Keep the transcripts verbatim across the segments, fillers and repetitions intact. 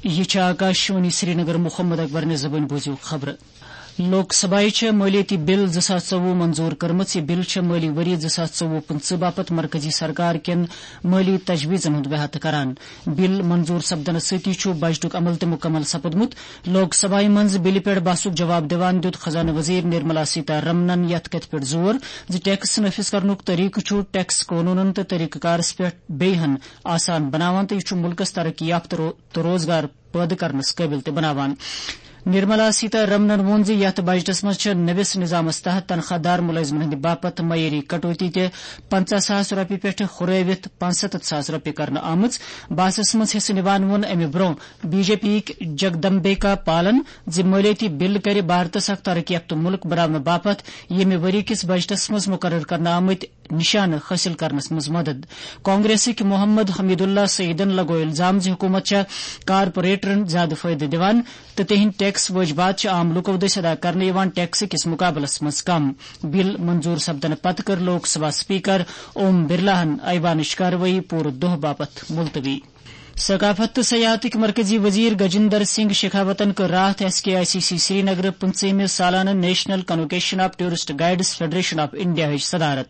یہِ چھِ آکاشوانی سرینگر۔ محمد اکبر نہِ زبٲنۍ بوٗزِو خبرٕ۔ لوک سبھایہِ چھےٚ مٲلیٲتی بل زٕ ساس ژوٚوُہ منظوٗر کٔرمٕژ۔ یہِ بل چھےٚ مٲلی ؤری زٕ ساس ژوٚوُہ پٕنٛژٕہ باپتھ مرکزی سرکار کٮ۪ن مٲلی تجویزن ہُنٛد احاطہٕ کران۔ بل منظوٗر سپدنس سۭتی چھُ بجٹُک عمل تہِ مُکمل سپُدمُت۔ لوک سبھایہِ منٛز بلہِ پٮ۪ٹھ بحثُک جواب دِوان دیُت خزانہٕ وزیر نرملا سیتا رمنن یتھ کتھِ پٮ۪ٹھ زور زِ ٹیکس نافذ کرنُک طریقہٕ چھُ ٹیکس قونوٗنن تہٕ طریقہٕ کارس پٮ۪ٹھ بیٚیہِ ہن آسان بناوان تہٕ یہِ چھُ مُلکس ترقی یافتہٕ رو-، تہٕ روزگار پٲدٕ کرنس قٲبِل تہِ بناوان۔ نرملا سیتا رمنن ووٚن زِ یتھ بجٹس منٛز چھِ نٔوِس نظامس تحت تنخواہ دار مُلٲزمن ہٕنٛدِ باپتھ معیٲری کٹوتی تہِ پنژاہ ساس رۄپیہِ پٮ۪ٹھٕ ہُرٲوِتھ پانٛژستتھ ساس رۄپیہِ کرنہٕ آمٕژ۔ بحثس منٛز حصہٕ نِوان ووٚن امہِ برٛونٛہہ بی جے پی یِکۍ جگدمبیکا پالن زِ مٲلیٲتی بل کرِ بھارتس اکھ ترقی یافتہٕ مُلک بناونہٕ باپتھ ییٚمہِ ؤری کِس بجٹس منٛز مُقرر کرنہٕ آمٕتۍ نشانہٕ حٲصِل کرنس منٛز مدد۔ کانگریسٕکۍ محمد حمید اللہ سعیدن لگوو الزام زِ حکوٗمت چھےٚ کارپوریٹرن زیادٕ فٲیدٕ دِوان تہٕ تِہنٛدۍ ٹیکس وٲجبات چھِ عام لوٗکو دٔسۍ ادا کرنہٕ یِوان ٹیکس کِس مُقابلس منٛز کم۔ بل منظوٗر سپدنہٕ پتہٕ کٔر لوک سبھا سپیکر اوم برلاہن ایوانٕچ کاروٲیی پوٗرٕ دۄہ باپتھ ملتوی۔ ثقافت تہٕ سیاحتٕکۍ مرکزی وزیر گجندر سنگھ شیخاوتن کٔر راتھ S K I C C سرینگرٕ پٕنٛژٕہمہِ سالانہٕ national convocation of tourist guides federation of India ہٕچ صدارت۔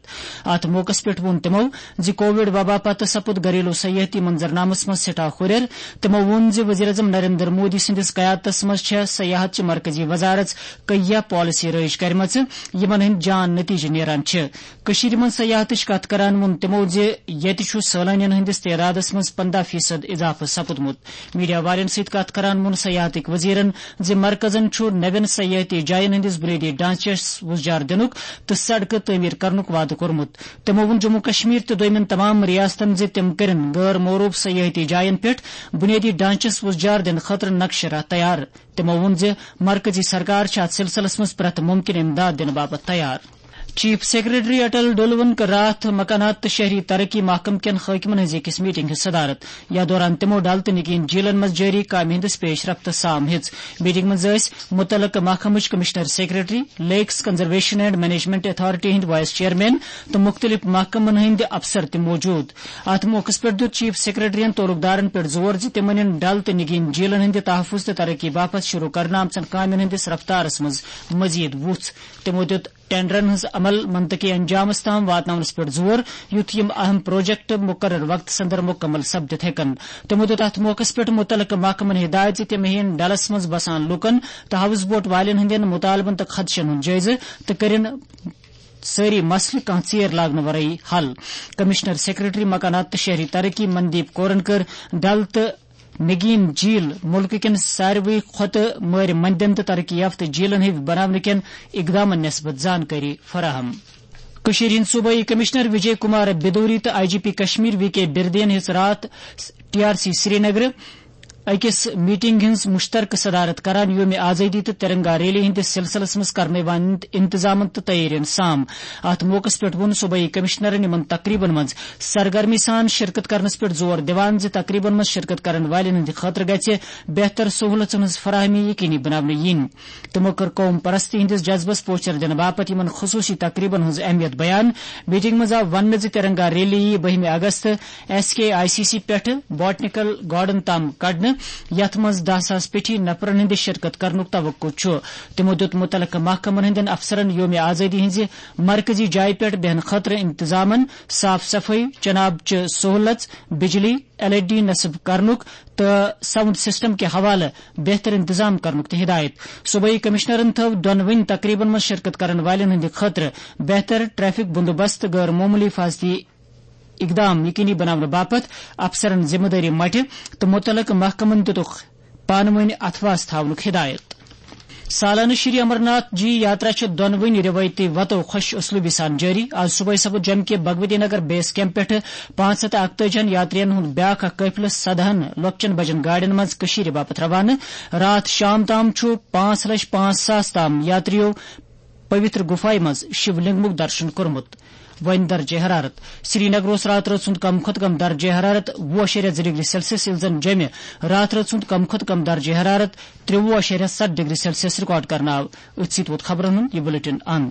اتھ موقعس پٮ۪ٹھ ووٚن تِمو زِ کووڈ وبا پتہٕ سپُد گھریلو سیاحتی منظرنامس منٛز سٮ۪ٹھاہ ہُرٮ۪ر۔ تِمو ووٚن زِ وزیر اعظم نریندر مودی سٕنٛدِس قیادتس منٛز چھےٚ سیاحت چہِ مرکزی وزارت کیہ پالیسی رٲیِج کرِمژٕ، یِمن ہٕنٛدۍ جان نتیجہٕ نیران چھِ۔ کٔشیٖرِ منٛز سیاحتٕچ کتھ کران ووٚن تِمو زِ ییٚتہِ چھُ سٲلٲنیَن ہٕنٛدِس تعدادَس منٛز پنٛداہ فیصد اضافہٕ سپُدمُت۔ میڈیا والٮ۪ن سۭتۍ کتھ کران ووٚن سیاحتٕکۍ وزیرن زِ مرکزن چھُ نوٮ۪ن سیاحتی جاین ہٕنٛدِس بُنیٲدی ڈھانچس وُزجار دِنُک تہٕ سڑکہٕ تعمیٖر کرنُک وعدٕ کوٚرمُت۔ تِمو ووٚن جموں کشمیر تہٕ دوٚیمٮ۪ن تمام ریاستن زِ تِم کٔرِن غٲر معروٗف سیاحتی جاین پٮ۪ٹھ بُنیٲدی ڈھانچس وُزجار دِنہٕ خٲطرٕ نقشہٕ راہ تیار۔ تِمو ووٚن زِ مرکزی سرکار چھِ اتھ سلسلس منٛز پرٛٮ۪تھ مُمکِن امداد دِنہٕ باپتھ تیار۔ چیف سیکرٹری اٹل ڈولون کٔر راتھ مکانات تہٕ شہری ترقی محکمہٕ کٮ۪ن حٲکمن ہٕنٛز أکِس میٹنگ ہٕنٛز صدارت۔ یتھ دوران تِمو ڈل تہٕ نگین جیلن منٛز جٲری کامہِ ہٕنٛدِس پیش رفتس سام ہیٚژ۔ میٹنگ منٛز ٲسۍ مُتعلقہٕ محکمٕچ commissioner secretary, lakes conservation and management authority ہٕنٛدۍ وائس چیئرمین تہٕ مُختٔلِف محکمن ہٕنٛدۍ افسر تہِ موجود۔ اتھ موقعس پٮ۪ٹھ دیُت چیف سیکرٹریَن تعلقدارن پٮ۪ٹھ زور زِ تِمن یِن ڈل تہٕ نگین جیلن ہٕنٛدِ تحفظ تہٕ ترقی باپتھ شروع کرنہٕ آمژن کامٮ۪ن ہٕنٛدِس رفتارس منٛز مزید وُژھ۔ تِمو دیُت ٹینڈرن ہٕنٛز عمل منطقی انجامس تام واتناونس پٮ۪ٹھ زور، یُتھ یِم اہم پروجیکٹ مقرر وقتس اندر مکمل سپدِتھ ہیٚکن۔ تِمو دیُت اتھ موقعس پٮ۪ٹھ مُتعلقہٕ محکمن ہدایت زِ تِم ہیٚین ڈلس منٛز بسان لوٗکن تہٕ ہاؤس بوٹ والٮ۪ن ہٕنٛدٮ۪ن مُطالبن تہٕ خدشن ہُنٛد جٲیزٕ تہٕ کٔرِن سٲری مسلہٕ کانٛہہ ژیر لاگنہٕ ورٲیی حل۔ کمشنر سیکرٹری مکانات تہٕ شہری ترقی مندیپ کورن کٔر ڈل تہٕ نگین جھیل مُلکہٕ کٮ۪ن ساروٕے کھۄتہٕ مٲرِ مندٮ۪ن تہٕ ترقی یافتہٕ جھیلن ہٕنٛدۍ بناونہٕ کٮ۪ن اقدامن نسبت زانکٲری فراہم۔ کٔشیٖرِ ہٕنٛدۍ صوبٲئی کمشنر وجے کمار بدوری تہٕ I G P Kashmir V K بردین ہیٚژ راتھ ٹی آر سی سرینگرٕ أکِس میٹنگ ہٕنٛز مشترکہٕ صدارت کران یوم آزادی تہٕ ترنگا ریلی ہٕنٛدِس سلسلس منٛز کرنہٕ یِوان انتظامن تہٕ تیٲرین سام۔ اتھ موقعس پٮ۪ٹھ ووٚن صوبٲئی کمشنرن یِمن تقریبن منٛز سرگرمی سان شرکت کرنس پٮ۪ٹھ زور دِوان زِ تقریبن منٛز شرکت کرن والٮ۪ن ہٕنٛدِ خٲطرٕ گژھِ بہتر سہولژن ہٕنٛز فراہمی یقینی بناونہٕ یِنۍ۔ تِمو کٔر قوم پرستی ہٕنٛدِس جذبس پوچھر دِنہٕ باپتھ یِمن خصوٗصی تقریبن ہٕنٛز اہمیت بیان۔ میٹنگ منٛز آو وننہٕ زِ ترنگا ریلی یِیہِ بٔہمہِ اگست S K I C C پٮ۪ٹھٕ باٹنیکل گارڈن تام کڑنہٕ، یتھ منٛز دَہ ساس پیٹھی نفرن ہٕنٛدِ شرکت کرنُک توقع چھُ۔ تِمو دیُت مُتعلقہٕ محکمن ہٕنٛدٮ۪ن افسرن یوم آزادی ہٕنٛزِ مرکزی جایہِ پٮ۪ٹھ بیہنہٕ خٲطرٕ انتظامن، صاف صفٲیی، چنہٕ آبچہِ سہولژ، بجلی، ایل ای ڈی نصب کرنُک تہٕ ساؤنڈ سسٹم کہِ حوالہٕ بہتر انتظام کرنُک تہِ ہدایت۔ صوبٲئی کمشنرن تھٲو دۄنوٕنی تقریبن منٛز شرکت کرن والٮ۪ن ہٕنٛدِ خٲطرٕ بہتر ٹریفک بندوبست، غٲر معموٗلی حفاظتی اقدام یقینی بناونہٕ باپتھ افسرن ذمہٕ دٲری مٹہِ تہٕ مُتعلقہٕ محکمن دِتُکھ پانہٕ وٲنۍ اتھواس تھاونُک ہدایت۔ سالانہٕ شری امرناتھ جی یاترا چھِ دۄنوٕنی رِوایتی وتو خۄش اسلوبی سان جٲری۔ آز صبحٲے سپُد جوٚمہِ کہِ بھگوتی نگر بیس کیمپ پٮ۪ٹھٕ پانٛژھ ہتھ تہٕ اکتٲجی ہن یاترین ہُنٛد بیٛاکھ اکھ قٲفلہٕ سدہن لۄکچٮ۪ن بجن گاڑٮ۪ن منٛز کٔشیٖرِ باپتھ روانہٕ۔ راتھ شام تام چھُ پانٛژھ لچھ پانٛژھ ساس تام یاترِیو پویتر گُفایہِ منٛز شِو لنگمُک درشن کوٚرمُت۔ وۄنۍ درجہ حرارت۔ سری نگر اوس راتہٕ رٲژ ہُنٛد کم کھۄتہٕ کم درجہ حرارت وُہ اَشاریہ زٕ ڈگری سیلسیس، ییٚلہِ زن جوٚمہِ راتہٕ رٲژ ہُنٛد کم کھۄتہٕ کم درجہ حرارت ترٛوُہ اَشاریہ ستھ ڈگری سیلسیس ریکارڈ کرنہٕ آو۔ أتھۍ سۭتۍ ووت خبرن ہُنٛد یہِ بلیٹن اند۔